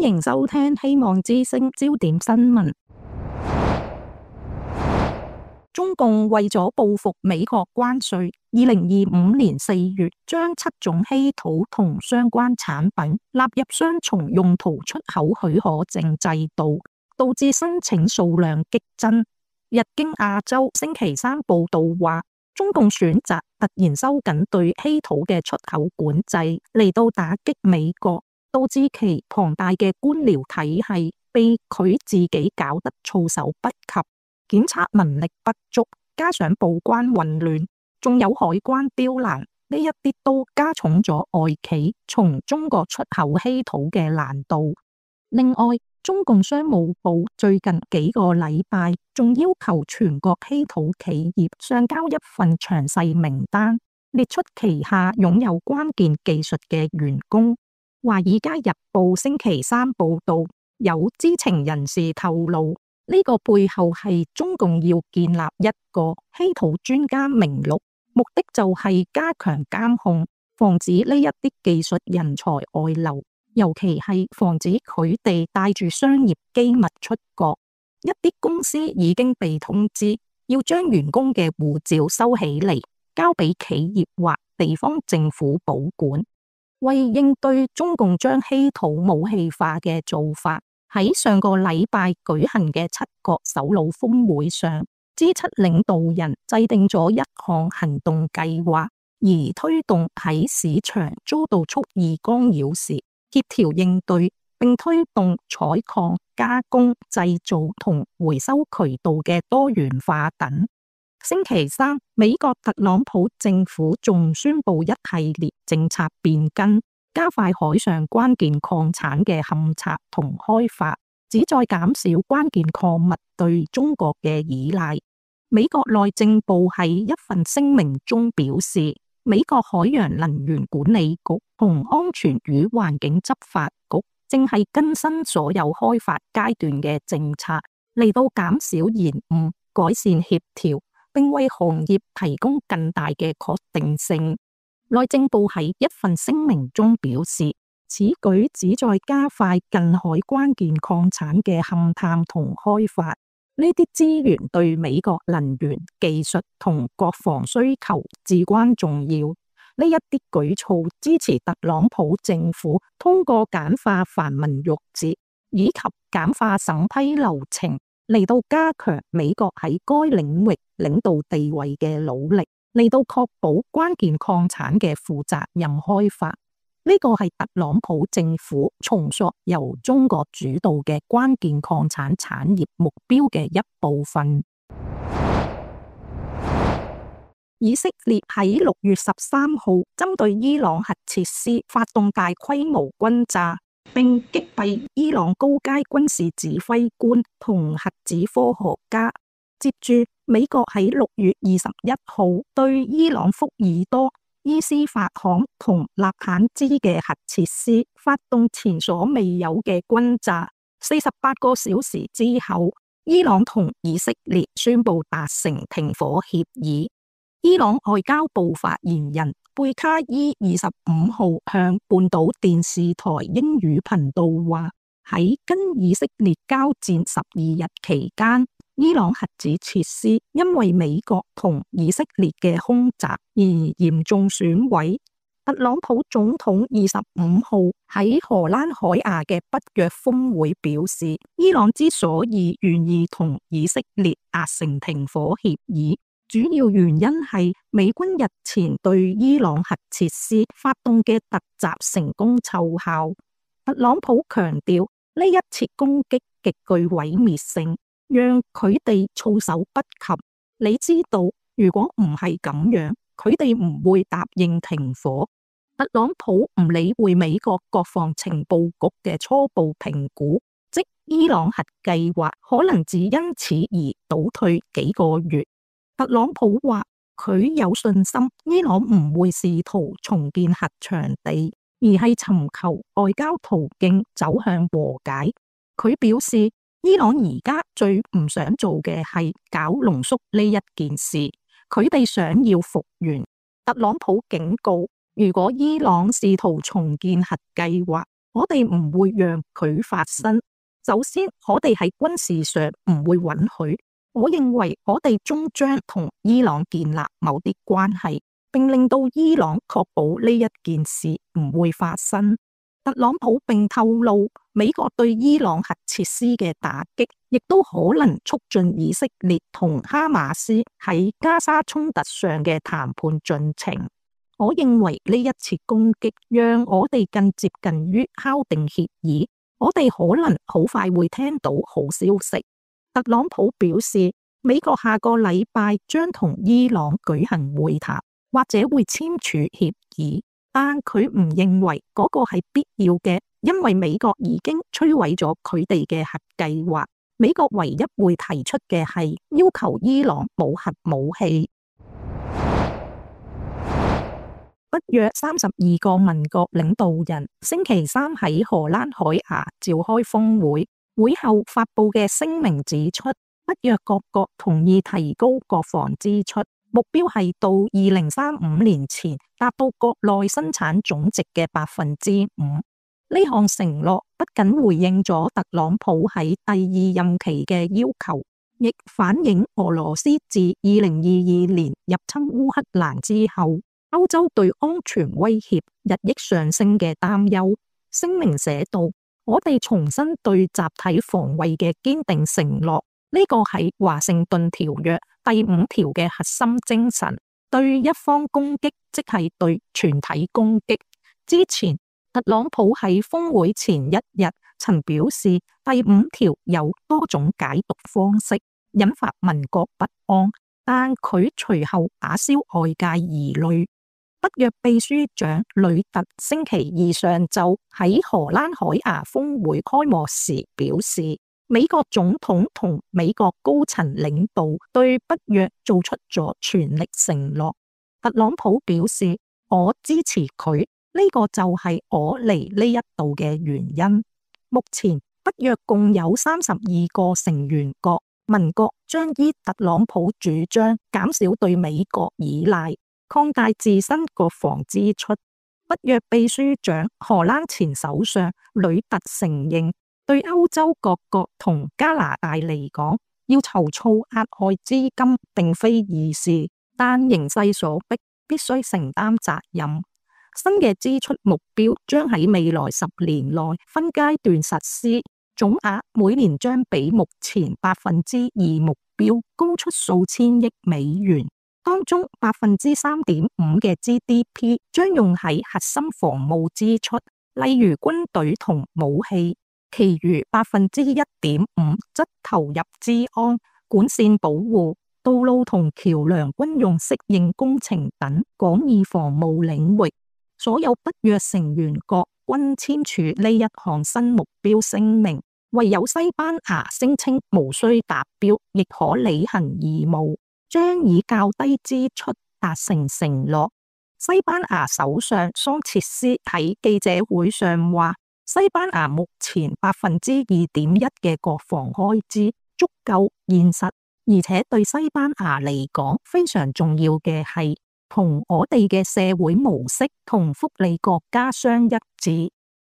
迎收聽希望之聲焦點新聞。中共為咗報復美國關稅，2025年4月將7種稀土同相關產品納入雙重用途出口許可證制度，導致申請數量激增。日經亞洲星期三報道話，中共選擇突然收緊對稀土嘅出口管制，嚟到打擊美國，導致其龐大嘅官僚體系被佢自己搞得措手不及，檢測能力不足，加上報關混亂，仲有海關刁難，呢一啲都加重咗外企從中國出口稀土嘅難度。另外，中共商務部最近幾個禮拜仲要求全國稀土企業上交一份詳細名單，列出旗下擁有關鍵技術嘅員工。華爾街日報星期三報道，有知情人士透露，呢個背後係中共要建立一個稀土專家名錄，目的就係加強監控，防止呢一啲技術人才外流，尤其係防止佢哋帶住商業機密出國。一啲公司已經被通知要將員工嘅護照收起嚟，交俾企業或地方政府保管。為應對中共將稀土武器化嘅做法，喺上個禮拜舉行嘅7國首腦峰會上，G7領導人制定咗一項行動計劃，而推動喺市場遭到蓄意干擾時協調應對，並推動採礦、加工、製造同回收渠道嘅多元化等。星期三，美國特朗普政府仲宣布一系列政策變更，加快海上關鍵礦產嘅勘測同開發，旨在減少關鍵礦物對中國嘅依賴。美國內政部喺一份聲明中表示，美國海洋能源管理局同安全與環境執法局正係更新所有開發階段嘅政策，嚟到減少延誤、改善協調，並為行業提供更大嘅確定性。內政部喺一份聲明中表示，此舉旨在加快近海關鍵礦產嘅勘探同開發，呢啲資源對美國能源、技術同國防需求至關重要。呢一啲舉措支持特朗普政府通過簡化繁文縟節以及簡化審批流程，嚟到加強美國喺該領域領導地位嘅努力，嚟到確保關鍵礦產嘅負責任開發。呢個係特朗普政府重塑由中國主導嘅關鍵礦產產業目標嘅一部分。以色列喺6月13號針對伊朗核設施發動大規模轟炸，並擊斃伊朗高階軍事指揮官同核子科學家。接住，美國喺6月21號對伊朗福爾多、伊斯法罕同納坦茲嘅核設施發動前所未有嘅轟炸。48個小時之後，伊朗同以色列宣布達成停火協議。伊朗外交部發言人貝卡伊25號向半島電視台英語頻道話，喺跟以色列交戰12日期間，伊朗核子設施因為美國同以色列嘅空襲而嚴重損毀。特朗普總統25號喺荷蘭海牙嘅北約峰會表示，伊朗之所以願意同以色列達成停火協議，主要原因係美軍日前對伊朗核設施發動嘅突襲成功奏效。特朗普強調，呢一次攻擊極具毀滅性，讓佢哋措手不及。你知道，如果唔係咁樣，佢哋唔會答應停火。特朗普唔理會美國國防情報局嘅初步評估，即伊朗核計劃可能只因此而倒退幾個月。特朗普話佢有信心伊朗唔會試圖重建核場地，而係尋求外交途徑走向和解。佢表示，伊朗而家最唔想做嘅係搞濃縮呢一件事，佢哋想要復原。特朗普警告，如果伊朗試圖重建核計劃，我哋唔會讓佢發生。首先，我哋喺軍事上唔會允許。我認為我哋終將同伊朗建立某啲關係，並令到伊朗確保呢一件事唔會發生。特朗普並透露，美國對伊朗核設施嘅打擊，亦都可能促進以色列同哈馬斯喺加沙衝突上嘅談判進程。我認為呢一次攻擊，讓我哋更接近於敲定協議。我哋可能好快會聽到好消息。特朗普表示，美國下個禮拜將同伊朗舉行會談，或者會簽署協議，但佢唔認為嗰個係必要嘅，因為美國已經摧毀咗佢哋嘅核計劃。美國唯一會提出嘅係要求伊朗冇核武器。北約32個盟國領導人星期三喺荷蘭海牙召開峰會，會後發佈嘅聲明指出，北約各國同意提高國防支出，目標係到2035年前達到國內生產總值嘅5%。呢項承諾不僅回應咗特朗普喺第二任期嘅要求，亦反映俄羅斯自2022年入侵烏克蘭之後，歐洲對安全威脅日益上升嘅擔憂。聲明寫道，我哋重申對集體防衛嘅堅定承諾，呢個係華盛頓條約第5條嘅核心精神。對一方攻擊，即係對全體攻擊。之前，特朗普喺峰會前一日曾表示，第5條有多種解讀方式，引發民國不安，但佢隨後打消外界疑慮。北約秘書長呂特星期二上晝喺荷蘭海牙峰會開幕時表示，美國總統同美國高層領導對北約做出咗全力承諾。特朗普表示，我支持佢，呢個就係我嚟呢一度嘅原因。目前北約共有32個成員國，盟國將依特朗普主張減少對美國依賴，擴大自身國防支出。北約秘書長荷蘭前首相呂特承認，對歐洲各國同加拿大嚟講，要籌措額外資金並非易事，但形勢所迫，必須承擔責任。新嘅支出目標將喺未來10年內分階段實施，總額每年將比目前2%目標高出數千億美元。當中3.5%嘅 GDP 將用喺核心防務支出，例如軍隊同武器，其餘1.5%則投入資安、管線保護、道路同橋梁軍用適應工程等廣義防務領域。所有北約成員國均簽署呢一項新目標聲明，唯有西班牙聲稱無需達標亦可履行義務，將以較低支出達成承諾。西班牙首相桑切斯喺記者會上話，西班牙目前2.1%嘅國防開支足夠現實，而且對西班牙嚟講非常重要嘅係同我哋嘅社會模式同福利國家相一致。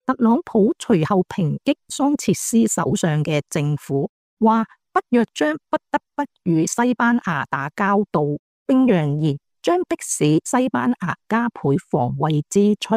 特朗普隨後抨擊桑切斯首相嘅政府，話北約將不得不與西班牙打交道，並揚言將迫使西班牙加倍防衛支出。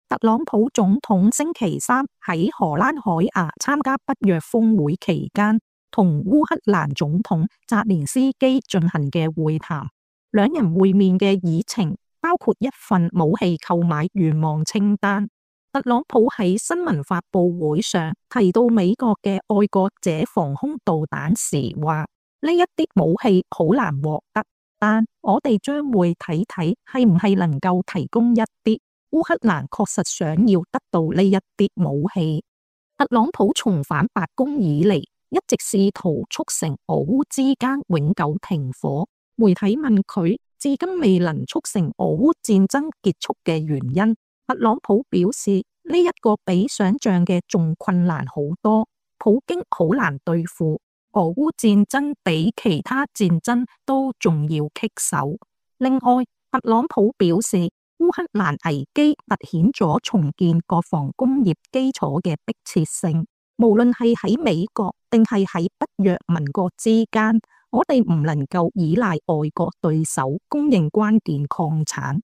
特朗普總統星期三喺荷蘭海牙參加北約峰會期間，同烏克蘭總統澤連斯基進行嘅會談，兩人會面嘅議程包括一份武器購買願望清單。特朗普喺新聞發佈會上提到美國嘅愛國者防空導彈時話，呢一啲武器好難獲得，但我哋將會睇睇係唔係能夠提供一啲。烏克蘭確實想要得到呢一啲武器。特朗普重返白宮以嚟，一直試圖促成俄烏之間永久停火。媒體問佢至今未能促成俄烏戰爭結束嘅原因，特朗普表示呢一個比想象嘅仲困難好多。普京好難對付，俄烏戰爭比其他戰爭都仲要棘手。另外，特朗普表示烏克蘭危機凸顯咗重建國防工業基礎嘅迫切性。無論係喺美國定係喺北約盟國之間，我哋唔能夠依賴外國對手供應關鍵礦產。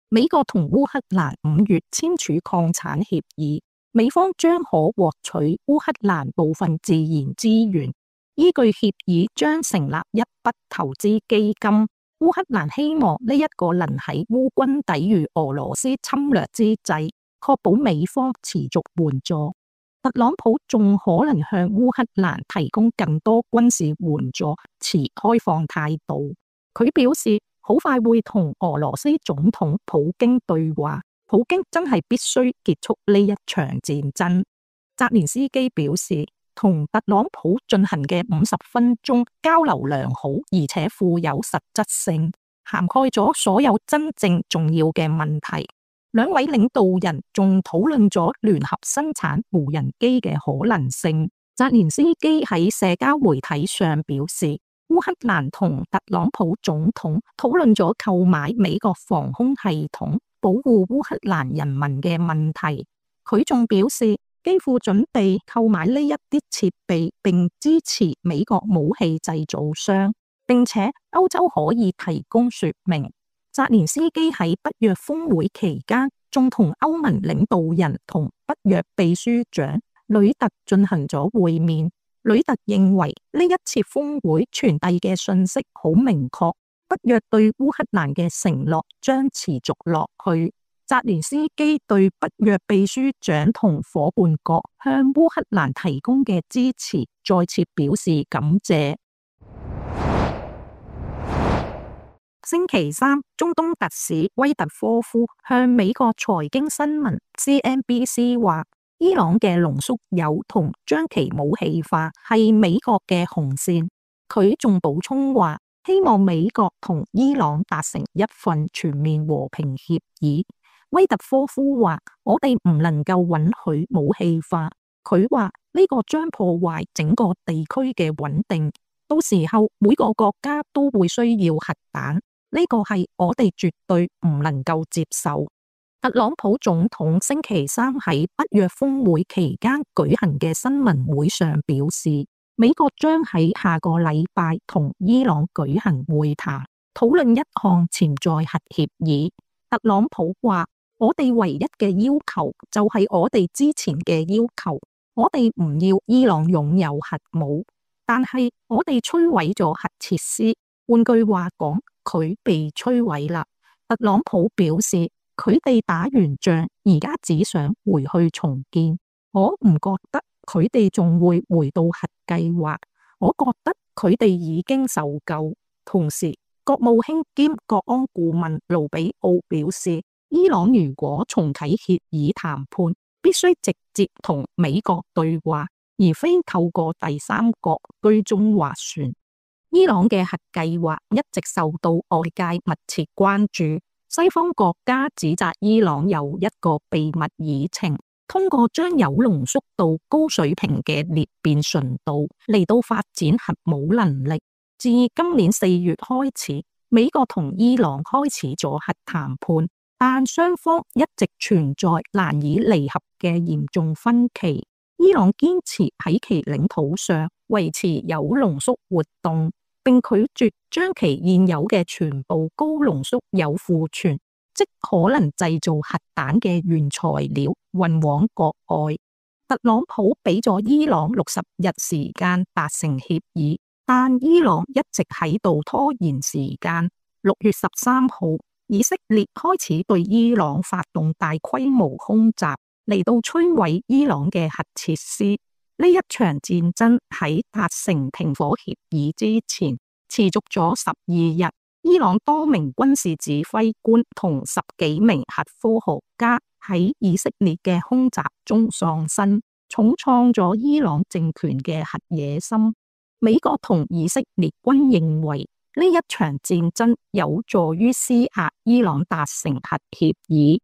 美國同烏克蘭5月簽署礦產協議，美方將可獲取烏克蘭部分自然資源。依據協議將成立一筆投資基金，烏克蘭希望呢一個能喺烏軍抵禦俄羅斯侵略之際，確保美方持續援助。特朗普仲可能向烏克蘭提供更多軍事援助，持開放態度。佢表示好快會同俄羅斯總統普京對話，普京真係必須結束呢一場戰爭。澤連斯基表示，同特朗普進行嘅50分鐘交流良好，而且富有實質性，涵蓋咗所有真正重要嘅問題。兩位領導人仲討論咗聯合生產無人機嘅可能性。澤連斯基喺社交媒體上表示，烏克蘭同特朗普總統討論咗購買美國防空系統，保護烏克蘭人民嘅問題。佢仲表示，幾乎準備購買呢一啲設備，並支持美國武器製造商，並且歐洲可以提供說明。澤連斯基喺北約峰會期間，仲同歐盟領導人同北約秘書長呂特進行咗會面。呂特認為呢一次峰會傳遞嘅信息好明確，北約對烏克蘭嘅承諾將持續落去。澤連斯基對北約秘書長同夥伴國向烏克蘭提供嘅支持再次表示感謝。星期三，中東特使威特科夫向美國財經新聞 CNBC 話，伊朗嘅濃縮鈾同將其武器化係美國嘅紅線。佢仲補充話，希望美國同伊朗達成一份全面和平協議。威特科夫話，我哋唔能夠允許武器化。佢話呢個將破壞整個地區嘅穩定，到時候每個國家都會需要核彈，呢個係我哋絕對唔能夠接受。特朗普總統星期三喺北約峰會期間舉行嘅新聞會上表示，美國將喺下個禮拜同伊朗舉行會談，討論一項潛在核協議。特朗普話，我哋唯一嘅要求就係我哋之前嘅要求，我哋唔要伊朗擁有核武，但係我哋摧毀咗核設施。換句話講，佢被摧毀啦。特朗普表示，佢哋打完仗，而家只想回去重建。我唔覺得佢哋仲會回到核計劃，我覺得佢哋已經受夠。同時，國務卿兼國安顧問盧比奧表示，伊朗如果重啟協議談判，必須直接同美國對話，而非透過第三國居中斡旋。伊朗嘅核計劃一直受到外界密切關注，西方國家指責伊朗有一個秘密議程，通過將鈾濃縮到高水平嘅裂變純度嚟到發展核武能力。自今年4月開始，美國同伊朗開始咗核談判，但雙方一直存在難以彌合嘅嚴重分歧。伊朗堅持喺其領土上維持鈾濃縮活動，並拒絕將其現有嘅全部高濃縮鈾庫存，即可能製造核彈嘅原材料運往國外。特朗普俾咗伊朗60日時間達成協議，但伊朗一直喺度拖延時間。6月13號，以色列開始對伊朗發動大規模空襲，嚟到摧毀伊朗嘅核設施。呢一場戰爭喺達成停火協議之前持續咗12日。伊朗多名軍事指揮官同10幾名核科學家喺以色列嘅空襲中喪生，重創咗伊朗政權嘅核野心。美國同以色列均認為呢一場戰爭有助於施壓伊朗達成核協議。